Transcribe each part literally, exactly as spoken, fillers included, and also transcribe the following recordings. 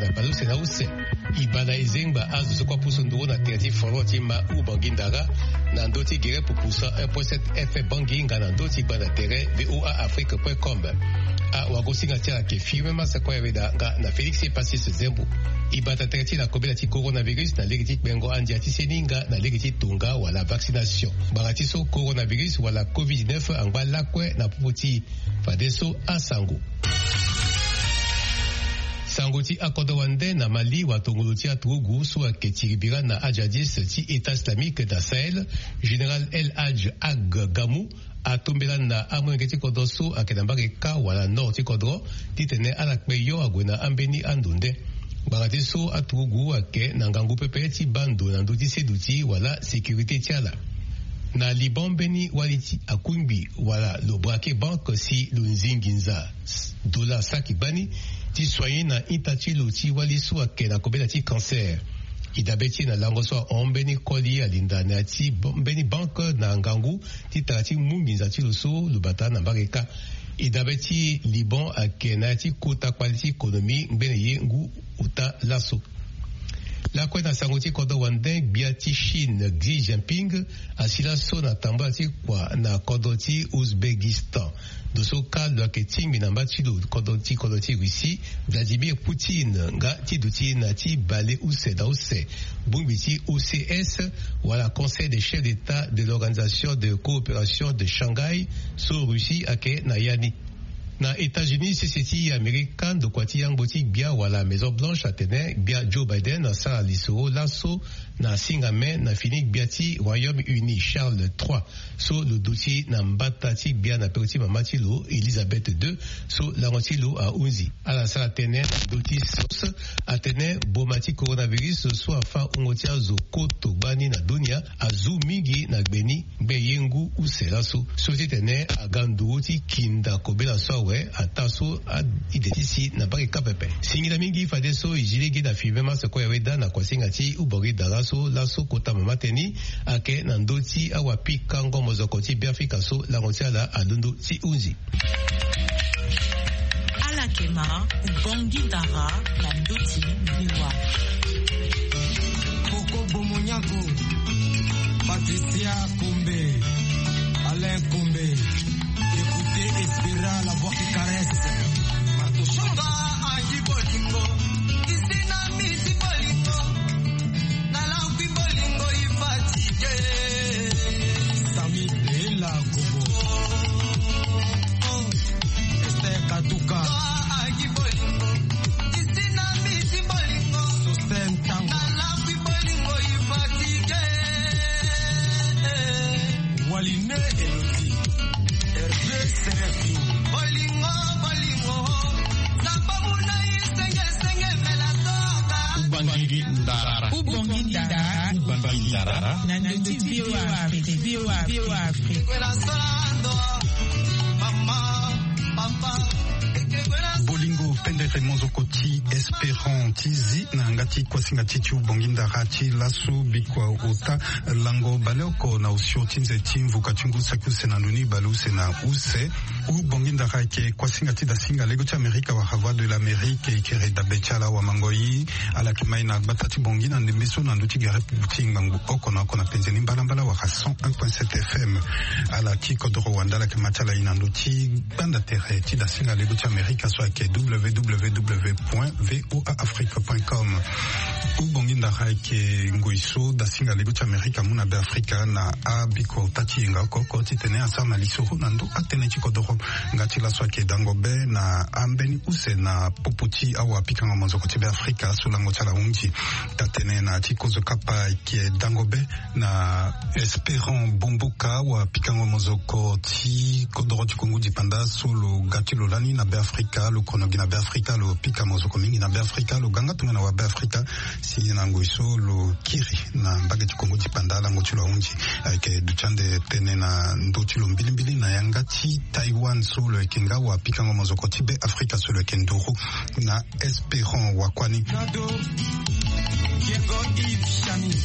na baleuse na use. E baa na ezengba azo so kue apusu nduru na tere ti folon ti ma Ubangi Ndara na ndö ti gere pupu cent un point sept F M Bangui nga na ndö ti gbanda tere V O A Afrique point com. Awagosinga ti ala ayeke Firmin Masse Koyaweda nga na Félix Epasis Zembo. E bata tere ti e na kobela ti coronavirus na lege ti kpengo andia ti seni nga na lege ti tonga wala vaccination. Ngbanga ti so coronavirus wala covid dix-neuf angba lakue na popo ti e. Fadeso asango. Sango ti akodro wande na Mali, watongolo ti aturugu so ayeke tiribira na ajadis ti État islamique na Sahel, général El Hadj Ag Gamou, atombela na amolenge ti kodro so ayeke na mbage kâ wala nord ti kodro, titene ala kpe yo ague na ambeni ando nde. Ngbanga ti so aturugu ayeke na ngangu pepe ti baa ndo na ndö ti seduti wala sécurité ti ala. Na Liban, mbeni wali ti akungbi wala lo braquer banque si lo nzi nginza dollar saki gbani ti soigner na ita ti lo ti wali so ayeke na kobela ti cancer. E dabe ti e na lango so ahon mbeni koli alinda na ya ti mbeni banque na ngangu ti tara ti mu nginza ti lo so lo bata na mbage kâ. E dabe ti Liban ayeke na ya ti kota kpale ti konomi ngbene ye ngu ota laso. Lakue na sango ti kodro wande, gbia ti Chine Xi Jinping asi laso na tambula ti kua na kodro ti Ouzbékistan. Ndo so kâ lo yeke tingbi na mba ti lo kodro ti kodro ti Russie, Vladimir Poutine, nga ti duti na ti bale use na use bongbi ti O C S wala Conseil des chefs d'État de l'Organisation de coopération de Shanghai so Russie ayeke na ya ni. Na États-Unis, sese ti Amerika, ndokua ti yangbo ti gbia wala Maison Blanche atene gbia Joe Biden asara lisoro laso na singa mai na fini gbia ti Royaume-Uni Charles trois so lo duti na mbata ti gbia na peko ti mama ti lo Elisabeth deux so lango ti lo ahunzi. Ala sara tënë na ndö ti source atene boma ti coronavirus so afâ wungo ti azo koto gbani na dunia azu mingi na gbe ni ngbe ye ngu use laso so titene aga nduru ti kinda kobela so awe ataa so a-ide ti si na mbage kâ pepe. Singila mingi fadeso e zi lege na Firmin Masse Koyaweda na kuasinga ti Ubangi Ndara so laso kota mama teni ayeke na ndö ti awapikango mozoko ti Beafrika so lango ti ala alondo ti hunzi. Ala yeke ma Ubangi Ndara na ndö ti V O A. Koko Bomonyago, Patricia Kombe, Alain Kombe. Écoutez Espera, la voix qui caresse. Marto Shonga, Angie Bolingo, Isina Misi Bolingo, Nalangui Bolingo, Ifatigue. Sami Bela Kobo. Esther Katuka. Angie Bolingo, Isina Misi Bolingo, Sosten Tango. Nalangui Bolingo, Ifatigue. Waline Elodi, Hervé Serafio. Bolingo, bolingo, zamba muna isenge, senge mela toka. Ubangi Ndara. Ubangi Ndara. Ubangi Ndara. Na ndö ti V O A Afrique, V O A Afrique. Kwela solando, mama, papa. Bolingo pendere mozoko ti Espérant ti zi na yanga ti kuasinga ti ti Ubangi Ndara ti laso bikua ota lango baleoko na osio ti nze ti mvuka ti ngu saki use na ndoni baleuse na use. Ubangi Ndara ayeke kuasinga ti dasinga lego ti Amerika wala Voix de l'Amérique, e kere dabe ti ala wamangoi. Ala yeke mai na gbata ti Bangui na ndembe so na ndö ti gere ti ngbangbo oko na oko na penze ni mbalambala wala cent un point sept F M. Ala ti kodoro wande ala yeke ma ti ala e na ndö ti gbanda tere ti dasinga lego ti Amerika so ayeke W W W point V O A Afrique point com. Ubangi Ndara ayeke ngoi so dasinga lego ti Amerika amu na Beafrika na abiko ota ti yenga oko oko titene asara na lisoro na ndö atënë ti kodoro. Nga ti laso ayeke dango be na ambeni use na popo ti awapikango mozoko ti Beafrika so lango ti ala ahunzi. Taa-tënë na ya ti kozo kapa ayeke dango be na Espérant Bomboka, wapikango mozoko ti kodoro ti Kongo dipanda so lo ga ti lo lani na Beafrika, lo kono gi na Beafrika, lo pika mozoko mingi na Beafrika, lo ga nga tongana wabeafrika. Si na ngoi so lo kiri na mbage ti Kongo dipanda, lango ti lo ahunzi. Ayeke duti ande tënë na ndö ti lo mbilimbili na yanga ti Taïwan so lo yeke nga wapikango mozoko ti Beafrika so lo yeke nduru na Espérant Wakwani. Nado, Diego Yves Chami.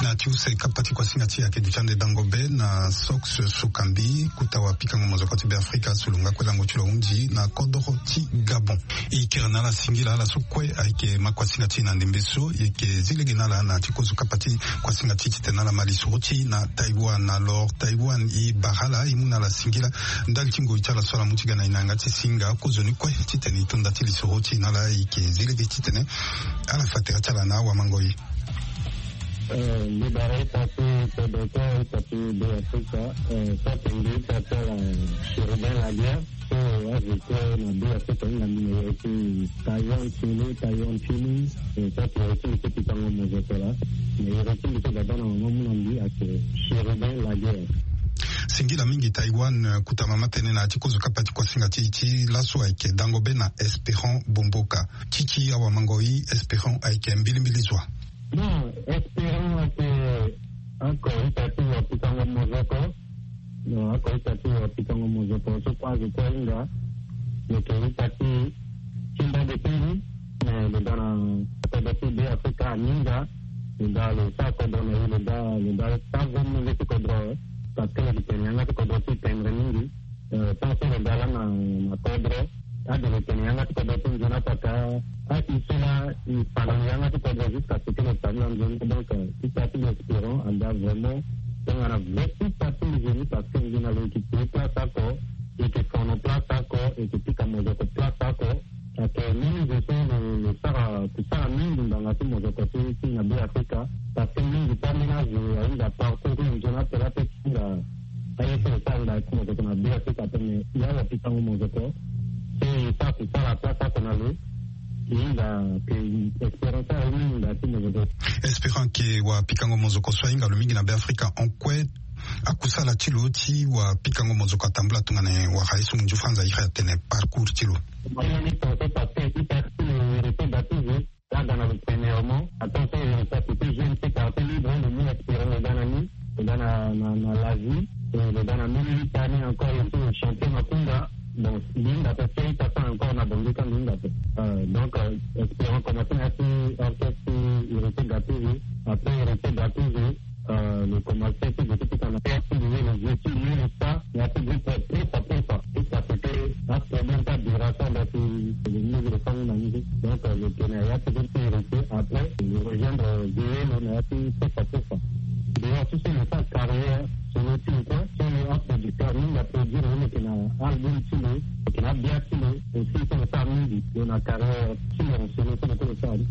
Na ti use kapa ti kuasinga ti e ayeke duti ande dango be na Sox Sokambi, kuta wa pikango mozoko ti Beafrika, so lo nga kue lango ti lo ahunzi na kodoro ti Gabon. E kiri na ala singila, ala so kue ayeke ma kuasinga ti e na ndembe so, e yeke zi lege na ala na ti kozo kapa ti kuasinga ti e titene ala ma lisoro ti e na Taïwan. Alors Taïwan, e bara ala, e mu na ala singila ndali ti ngoi ti ala so ala mu ti ga na e na yanga ti singa kozo ni kue titene e to nda ti lisoro ti e na ala. E yeke zi lege titene ala fa tere ti ala na awamangoi. Eh, mbi bara ita ti kodro kue, ita ti Beafrika, eh, so atene mbi ita ti ala, eh, Chérubin Laguerre, so azo kue na Beafrika ahinga mbi na yere ti Taïwan Tulu, Taïwan Tulu, eh, so atene yere ti mbi ti pikango mozoko laa, na yere ti mbi ti baba na mama mu na mbi ayeke Chérubin Laguerre. Singila mingi Taïwan, eh, kuta mama tënë na ya ti kozo kapa ti kuasinga ti e ti laso ayeke dango be na Espérant Bomboka. Ti ti awamangoi, Espérant ayeke mbilimbili zo wa? Bon, Espérant ayeke oko ita ti wa pikango mozoko. Bon, oko ita ti wa pikango mozoko so kue azo kue ahinga. Lo yeke ita ti, ti mbage ti mbi. Me lo daa na kodro ti Beafrika aninga. Lo daa lo sara kodro na e, lo daa, lo daa sara ve molenge ti kodro. Parce que lo yeke tene yanga ti kodro ti tendre mingi. Eh, tant so lo daa laa na, na kodro, ade lo tene yanga ti kodro ti nzoni apaka, a i so laa i fa na lo yanga ti kodro jusqu'à ce que lo fa ni na nzoni. Donc, eh, ita ti mbi Espérant aga vraiment tongana vrai ita ti mbi nzoni, parce que nzoni na lo e yeke piri place oko, e yeke fono place oko, e yeke pika mozoko place oko. Ayeke mbeni zo so lo, lo sara, kusala mingi ngbanga ti mozoko ti, ti na Beafrika. Parce que mingi ti ambeni azo ahinga parcours ti lo nzoni ape laa ape ti hinga aye so lo sara ngbanga ti mozoko na Beafrika ape, me ya wa pikango mozoko so e sara kusala place oko na lo. E hinga ke Espérant sara ye mingi ngbanga ti mozoko. Espérant ke wa pikango mozoko so ahinga lo mingi na Beafrika en kue. Akusala ti lo ti wa pikango mozoko atambula tongana nyen? Wara ye so ngu nzoni afa nza iri atene parcours ti lo. Parce que ita ti lo Héritier Gattuso, là dans le premièrement, attention, Héritier, c'était jeune, c'est quartier libre, le mot Espérant, le dans la nuit, le dans la, la, la vie, et le dans la même année encore, il était le champion Makunda. Bon, l'une d'après ça, il t'attend encore, on a vendu quand même d'après. Euh, donc, euh, Espérant commencer à faire orchestre Héritier Gattuso, après Héritier Gattuso, euh, le commencer, c'est de tout à la perte, le jeu, le jeu, ça, il y a tout dit, euh, pour ça, pour ça. Tout ça, c'était un problème, pas de raison, donc, euh, le niveau de famille, la musique. Donc, euh, le Kenya, il y a tout dit, Héritier, après, le rejoindre, euh, Zéro, le Nayati, pour ça, pour ça. D'ailleurs, tout ça, il y a sa carrière, sur le team, quoi, sur le rap producteur, nous, il a produit, le Kenya, album, tout le, le Kenya, bien, tout le, aussi, c'est le famille, le, la carrière, tout le, c'est le, c'est le, c'est le,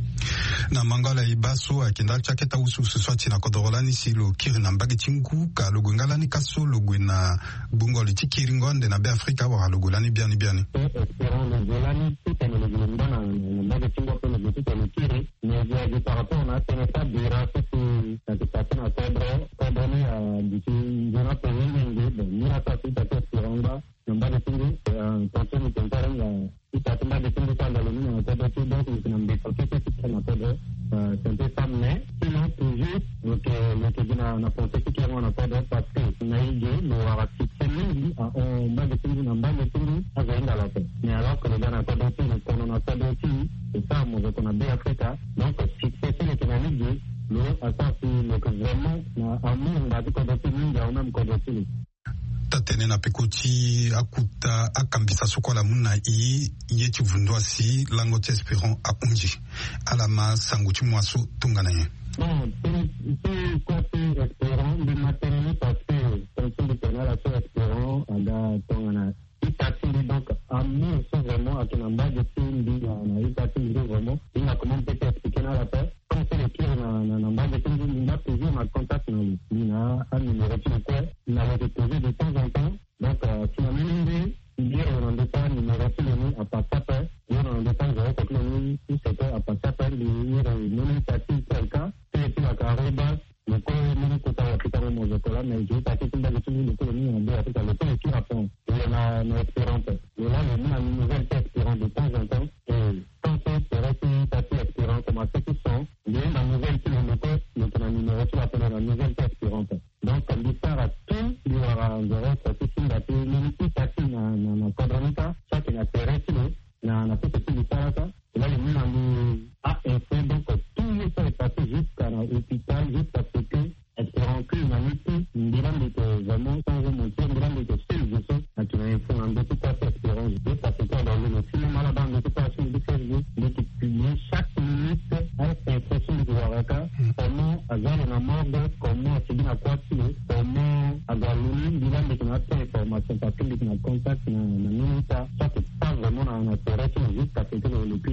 Na mangala e baa so ayeke ndali ti akete awusuwusu so ati na kodoro lani si lo kiri na mbage ti ngu, ka lo gue nga lani ka so lo gue na gbungo li ti kiringo ande na Beafrika wala lo gue lani biani biani? Espérant lo gue lani titene lo gue lo nda na, na mbage ti ngu ape lo gue titene lo kiri. Mais je dis par rapport na atene ti abira so si ayeke pase na kodro, kodro ni aduti nzoni ape mingi. Bon, ni la so asi ti Espérant ngba na mbage ti ngu, eh, tongaso ni tene ti arenga ita ti mbage ti ngu so anda lo ni na kodro ti, donc lo yeke na mbeto kete ti tene na kodro, eh, tene ti femme, mais sinon toujours lo yeke, lo yeke gi na, na pensée ti kiringo na kodro, parce que na e ge lo wara succès mingi ahon mbage ti ngu na mbage ti ngu azo ahinga lo ape. Mais alors que lo ga na kodro ti lo, kono na kodro ti lo, lo sara mozoko na Beafrika, donc succès so lo yeke na ni ge, lo asara si lo yeke vraiment na amour ngbanga ti kodro ti lo mingi ahon même kodro ti lo. Taa-tënë na peko ti akuta akambisa so kue ala mu na e, ye ti vundu asi lango ti Espérant ahunzi. Ala ma sango ti mo so tongana nyen? Bon, ti, ti kue ti Espérant, mbi ma tënë ni parce que tongaso mbi tene na ala so Espérant aga tongana ita ti mbi, donc amour so vraiment ayeke na mbage ti mbi na, na ita ti mbi so vraiment, mbi na comment peut expliquer na ala ape. Comme so lo kiri na, na, na mbage ti mbi, mbi nga toujours na contact na lo. Mbi na anuméro ti lo kue, mbi na lo yeke toujours de temps en temps. Donc, euh, si na mbeni nde, mbi iri lo na ndö ti anuméro ti lo ni apassé ape, mbi iri lo na ndö ti azo oko ti lo ni use kue apassé ape, mbi iri mbeni ita ti T L K, T L K arobase, lo kue mbeni kota wa pikango mozoko laa, mais je veux partir ti mbage ti mbi, lo kue lo ni na Beafrika, lo kue lo kiri ape. Lo na, na Espérant ape. Lo laa lo mu na nouvelle ti Espérant de temps en temps. Et tant que tere ti ita ti Espérant commencé ti son, mbi hunda nouvelle ti lo, lo kue lo yeke na numéro ti lo ape, lo na nouvelle ti Espérant ape. Donc mbi sara tout mbi wara nzere oko ti simba ti mbeni ita ti na, na, na kodro ni kâ, so ayeke na tere ti lo, na, na poso ti mbi sara kâ. Là, lo mu na mbi a info, donc tout ye so est passé jusqu'à na hôpital, jusqu'à ce que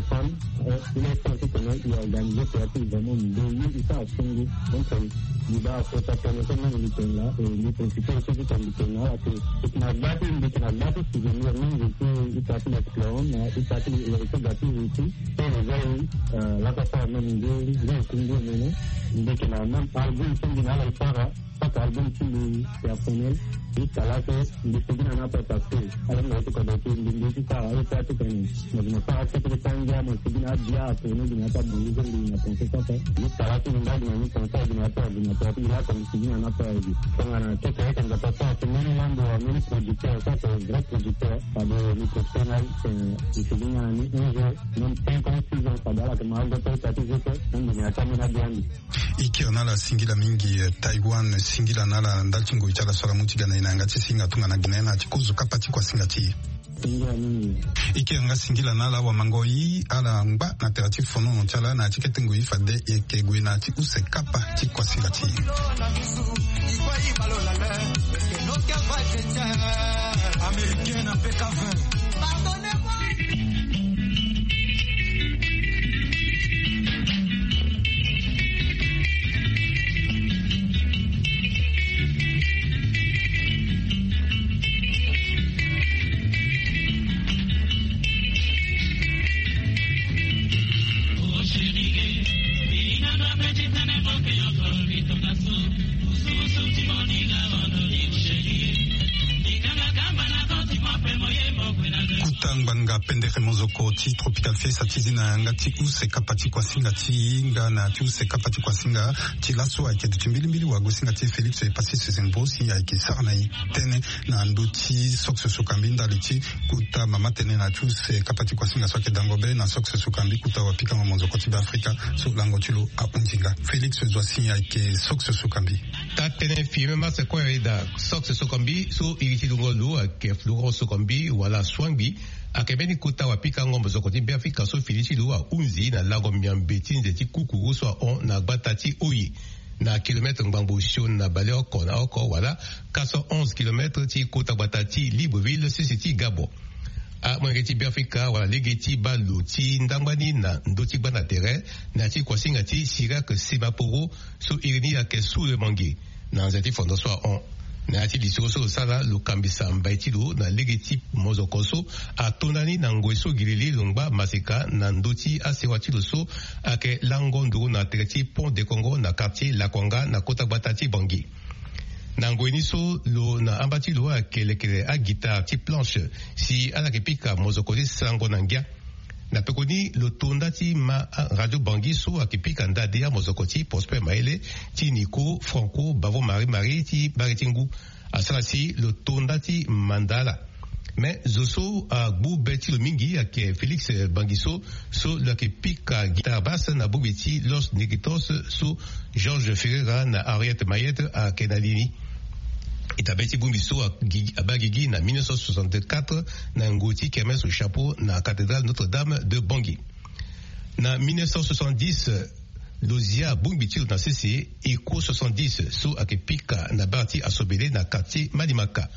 Téléphone, il est temps ti tene i organiser théâtre vraiment mbi ye i sara songo. Donc mbi baa kota tene so mingi mbi tene laa, e mbi profiter aussi ti tene mbi tene na ala ke e yeke na gba ti, mbi yeke na gba ti souvenir mingi ti ita ti l'explorer na ita ti le héritier gâteau ti. Pe le zai laka sara même nde nde ti nde mene. Mbi yeke na même album so mbi na ala e sara. Saka album ti mbi personnel. Mbi tala so mbi sigi na ni ape parce que ala mbi ti kodro ti mbi mbi ti sara aye ti atene. Mais mbi na sara ti kete ti angia mo sigi na abia ape ni mbi na ata bongi so mbi na pense saka. Mbi tala so mbi mba mbi na ni pense mbi na ata ordinateur ti mbi laa comme sigi na ni ape aye. Tongana kete ayeke nzapa sara ti mbeni lambo wa mbeni producteur saka vrai producteur. Fade mbi pense na mbi sigi na ni un jour même cinq ans six ans fade ala yeke ma ago ti aye ti aye ti zo so. Mbi na ata mbeni abia mbi. E kiri na ala singila mingi. Taïwan singila na ala ndali ti ngoi ti ala so ala mu ti ga na e na yanga ti singa tongana gi na e na ya ti kozo kapa ti kuasinga ti e. Singila mingi. E kiri yanga singila na ala wamangoi ala ngba na tere ti fonono ti ala na ya ti kete ngoi fade e yeke gue na ya ti use kapa ti kuasinga ti e. Américain na P K vingt. Kuta ngbanga pendere mozoko ti Tropical Fiesta ti zi na yanga ti use kapa ti kuasinga ti hinga na ti use kapa ti kuasinga ti laso ayeke duti mbilimbili wagosinga ti Félix Epassi Sezembo si ayeke sara na e tënë na ndö ti Sox Sokambi ndali ti kuta mama tënë na ti use kapa ti kuasinga so ayeke dango be na Sox Sokambi kuta wapikango mozoko ti Beafrika so lango ti lo ahunzi nga. Félix Zoassi ayeke Sox Sokambi. Taa tënë fimema sekue daa Sox Sokambi so iri ti dungo lo ayeke Florent Sokambi wala Swangbi. Ayeke mbeni kota wapikango mozoko ti Beafrika so fini ti lo ahunzi na lango miambe ti nze ti kukuru so ahon na gbata ti Oye. Na kilometre ngbangbo sioni na baleoko na oko wala quatre cent onze kilometre ti kota gbata ti Libreville sese ti Gabon. Amolenge ti Beafrika wala lege ti baa lo ti ndangba ni na ndö ti gbanda tere na ya ti kuasinga ti Chirac Simaporo so iri ni ayeke Sous le Mangue na nze ti fondo so ahon. Na ya ti lisoro so lo sara, lo kambisa mbai ti lo na lege ti mozoko so atonda ni na ngoi so gilili lo ngba maseka na ndö ti asewa ti lo so ayeke lango nduru na tere ti Pont de Congo na quartier Lakwanga na kota gbata ti Bangui. Na ngoi ni so lo na amba ti lo ayeke lekere aguitare ti planche si ala yeke pika mozoko ti sarango na ngia. Na pekoni lo to nda ti ma radio Bangui so ayeke pika ndade amozoko ti Prosper Maele, ti Nico, Franco, Bavo Marie Marie ti Bari ti Ngu. Asara si lo to nda ti manda ala. Me zo so agbu be ti lo mingi ayeke Félix Bangiso, so lo yeke pika guitare basse na bongbi ti Los Negritos so Georges Ferreira na Henriette Mayette ayeke na li ni. Ita be ti bongbi so agi- abaa gigi na mille neuf cent soixante-quatre na ngu ti kermesse au chapeau na cathédrale Notre-Dame de Bangui. Na mille neuf cent soixante-dix, lo zia bongbi ti lo na sese, Echo soixante-dix, so ayeke pika na bar ti Asobele na quartier Malimaka.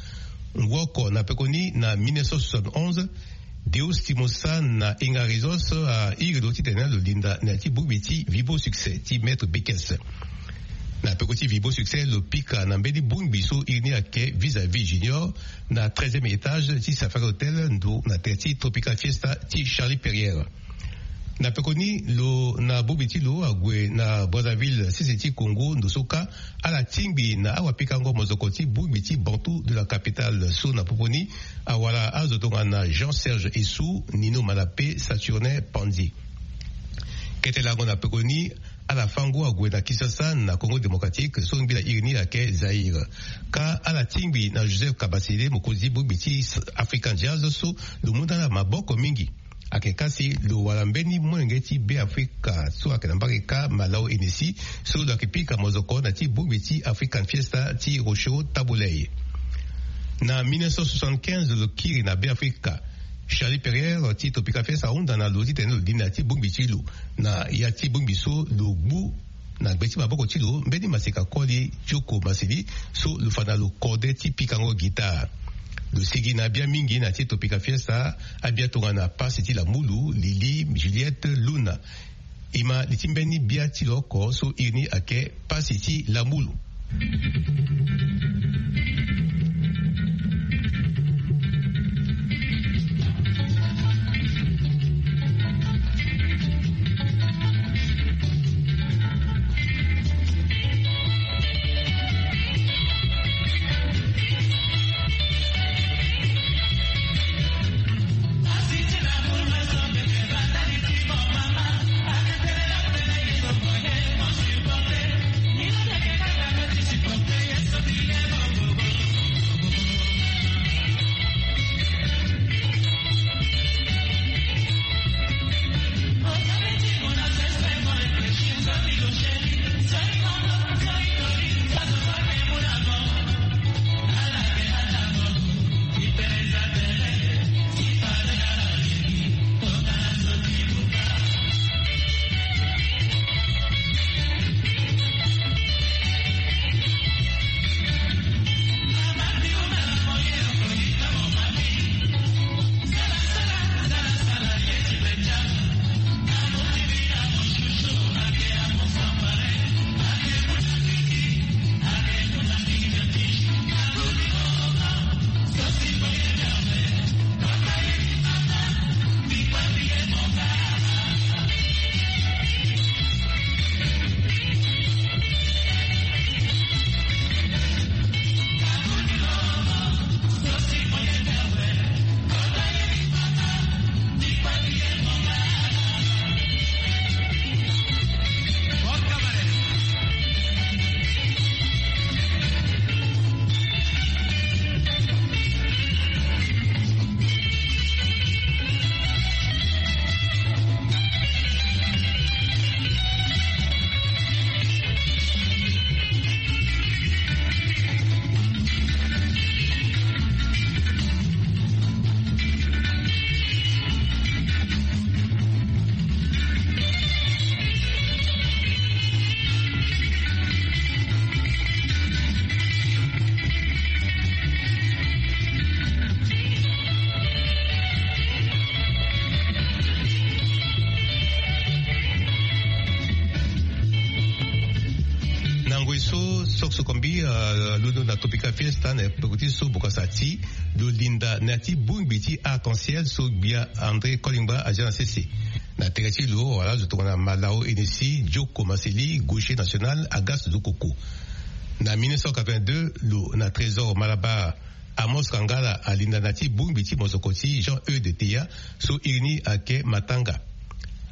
Ngu oko na pekoni na mille neuf cent soixante-onze, Deus Timosa na Inga Rizos airi lo titene lo linda na ya ti bongbi ti Vibo Succès ti Maître Bekes. Na peko ti Vibo Succès lo pika na mbeni bongbi so iri ni ayeke Vis-à-vis Junior na treizième étage ti Safari Hotel, ndo na tere ti Tropical Fiesta ti Charlie Perrier. Na pekoni lo na bongbi ti lo ague na Brazzaville, sese ti Congo, ndo so kâ ala tingbi na awapikango mozoko ti bongbi ti Bantu de la capitale so na popo ni awara azo tongana Jean Serge Essou, Nino Manape, Saturnin Panzi. Kete lango na pekoni, ala fango ague na Kinshasa na Congo Démocratique, so ngbi na iri ni ayeke Zaïre. Kâ ala tingbi na Joseph Kabasele, mokonzi ti bongbi ti African Jazz so lo mu nda na maboko mingi. Ayeke kâ si lo wara mbeni molenge ti Beafrika so ayeke na mbage kâ Malao Hennessy, so lo yeke pika mozoko na ti bongbi ti African Fiesta ti Rochereau Tabu Ley. Na mille neuf cent soixante-quinze lo kiri na Beafrika. Charlie Perrier ti Tropical Fiesta ahunda na lo titene lo li na ya ti bongbi ti lo. Na ya ti bongbi so lo gbu na gbe ti maboko ti lo mbeni maseka koli ti oko maseli so lo fa na lo kode ti pikango guitare. Lo sigi na abia mingi na ya ti Tropical Fiesta, abia tongana Pasi ti Lamulu, Lili, Juliette, Luna. E ma li ti mbeni bia ti lo oko so iri ni ayeke Pasi ti Lamulu. Londo na Tropical Fiesta na epeko ti so bokasa ti lo linda na ya ti bongbi ti arc-en-ciel so gbia André Kolingba aza na sese. Na tere ti lo wala zo tongana Malao Hennessy, Joko Maseli, Gaucher National, Agas Zokoko. Na mille neuf cent quatre-vingt-deux lo na Trésor Malabar, Amos Kangala alinda na ti bongbi ti mozoko ti Jean Eudes Teya so iri ni ayeke Matanga.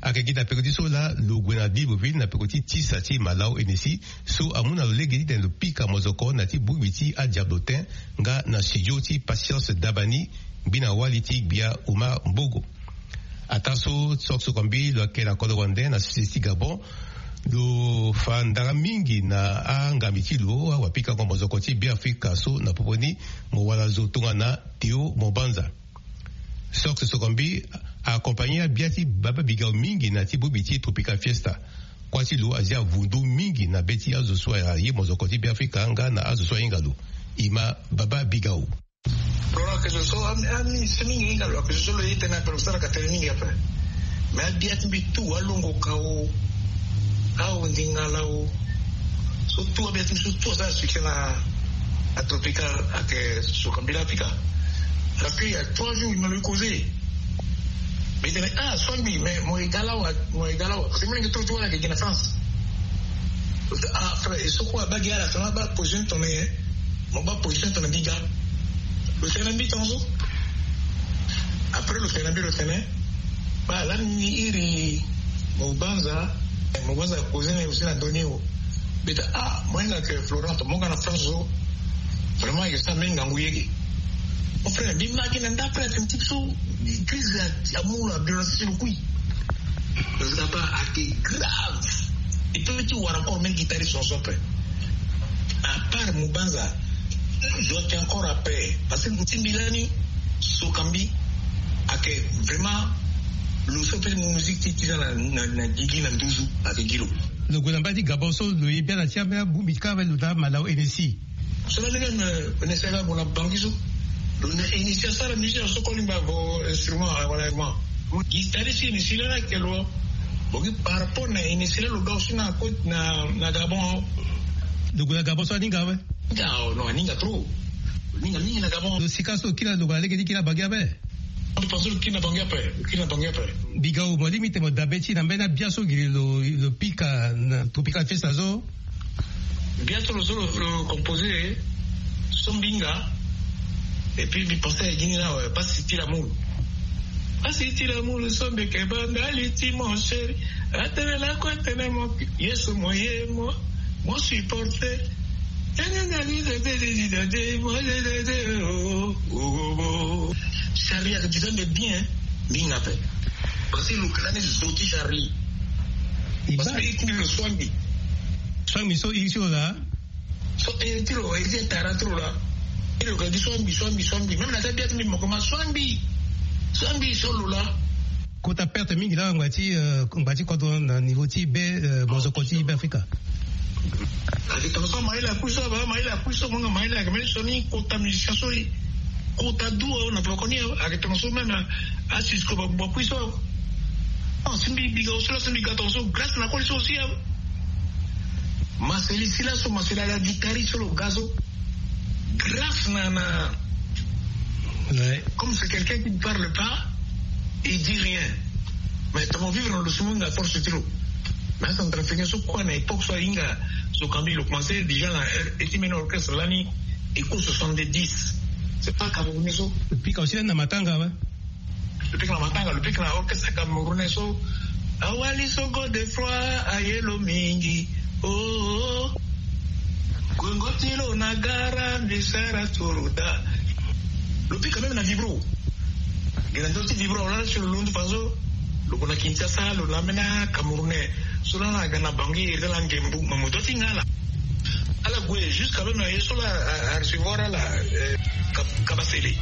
Ayeke gi na peko ti so laa lo gue na Libreville na peko ti tisa ti Malao Hennessy so amu na lo lege titene lo pika mozoko na ti bongbi ti adiablotin nga na studio ti Patience Dabani, ngbina wali ti gbia Omar Mbogo. Ataa so Sox Sokombi lo yeke na kodro wande na sese ti Gabon, lo fa ndara mingi na angambi ti lo awapikango mozoko ti Beafrika so na popo ni mo wara zo tongana Théo Mobanza. Sox Sokombi aaccompagner gbia ti Baba Bigao mingi na ti bongbi ti Tropical Fiesta. Kuâ ti lo azia avundu mingi na be ti azo so aye mozoko ti Beafrika nga na azo so ahinga lo. E ma Baba Bigao. Lo na kezo so ami ami si mingi hinga lo, kezo so lo ye tënë ape, lo saraka tënë mingi ape. Mais abia ti mbi tout alongo kao, aondingala o, so tout abia ti mbi so tout asara succès na atropical ayeke Sokombi la Afrika. Parce que il y a trois jours il m'a causé. Mbi tene ah Sokombi, mais mo ye ga lawa, mo ye ga lawa, parce que molenge trop ti wala ayeke gi na France. Ah frère, e so kue abaa gi ala tongana abaa position tongana nyen? Mo baa position tongana mbi ga. Lo tene na mbi tongaso. Après lo tene na mbi, lo tene baa lani ni iri Mobanza. Mobanza causer na e aussi na ndö ni o. Mbi tene ah mo hinga ayeke Florent, mo nga na France so. Vraiment ayeke sara mbeni ngangu yege. Mon frère, mbi ma gi na nda après atene ti so crise amu na violence ti lo kui. Lo zaba ayeke grave. E peut ti wara encore même guitariste son son pe. À part Mobanza, zo ayeke encore ape. Parce que lo ti mbi lani Sokombi ayeke vraiment lo so peut musique ti ti na na na gigi na nduzu ayeke gi lo. Lo gue na mbai ti Gabon so lo ye bia na ti ambeni abongbi ti kâ ape, lo daa Malao Hennessy. So la lege na Hennessy aga gue na Bangui so. Lo na Hennessy asara musicien so koli mba vo instrument wala instrument. Guitariste Hennessy la ayeke lo. Bongi par rapport na Hennessy la lo ga aussi na côte na na Gabon. Lo gue na Gabon so aninga awe? Aninga o, non, aninga trop. Aninga mingi na Gabon. Lo sika so lo kiri na lo gue na lege ti kiri na Bangui ape? Mbi pense lo kiri na Bangui ape, lo kiri na Bangui ape. Bigao, mo lingbi ti mo dabe ti na mbeni abia so giri lo lo pika na Tropical Fiesta so? Bia so lo so lo composer so mbi hinga. Et puis mbi pense aye gi ni la, pasi ti lamour. Pasi ti lamour so mbi yeke baa ndali ti mon chéri. Atene lakue atene mo Yesu mo ye mo mo supporter. Charlie ayeke duta nde bien. Mbi hinga ape. Parce que lo yeke lani zo ti Charlie. Parce que e kiri lo Sokombi. Sokombi so e ti lo laa. So e ti lo e ti e tara ti lo laa. E lo yeke gi Sokombi Sokombi Sokombi, même na ti abia ti mbi moko ma Sokombi. Sokombi so lo laa. Kota perte mingi laa ngba ti ngba ti kodro na niveau ti be mozoko ti Beafrika. Ayeke tongaso amaïla akui so aba amaïla akui so mo nga amaïla ayeke mbeni sioni kota musicien so. Kota du awe na poko ni awe ayeke tongaso même. Asisko babuba akui so awe. Non si mbi biga oso la so mbi ga tongaso grâce na koli so aussi awe. Maseli si laso maseli ala guitariste so lo ga so. Grâce na na. Comme c'est quelqu'un qui ne parle pas, il dit rien. Mais tongana vivre na lo so mo hinga force ti lo. Mais acentrafricain so kue na époque so ahinga so kambi lo commencé déjà na e ti mbeni orchestre lani. Eko soixante-dix. C'est pas camerounais so. Pika aussi na matanga awe. Lo pika na matanga lo pika na orchestre camerounais so. Awali so godefroi aye lo mingi. Oh. Gongo ti lo na gara mbi sara turu daa. Lo pika même na vibro. Gi na ndö ti vibro lala ti lo londo faso. Lo gue na Kinshasa lo na ambeni acamerounais. So lala aga na bangi iri ti ala ngembu ma mo dua ti nga ala. Ala gue jusqu'à même na ye so la arecevoir ala. Kabasele.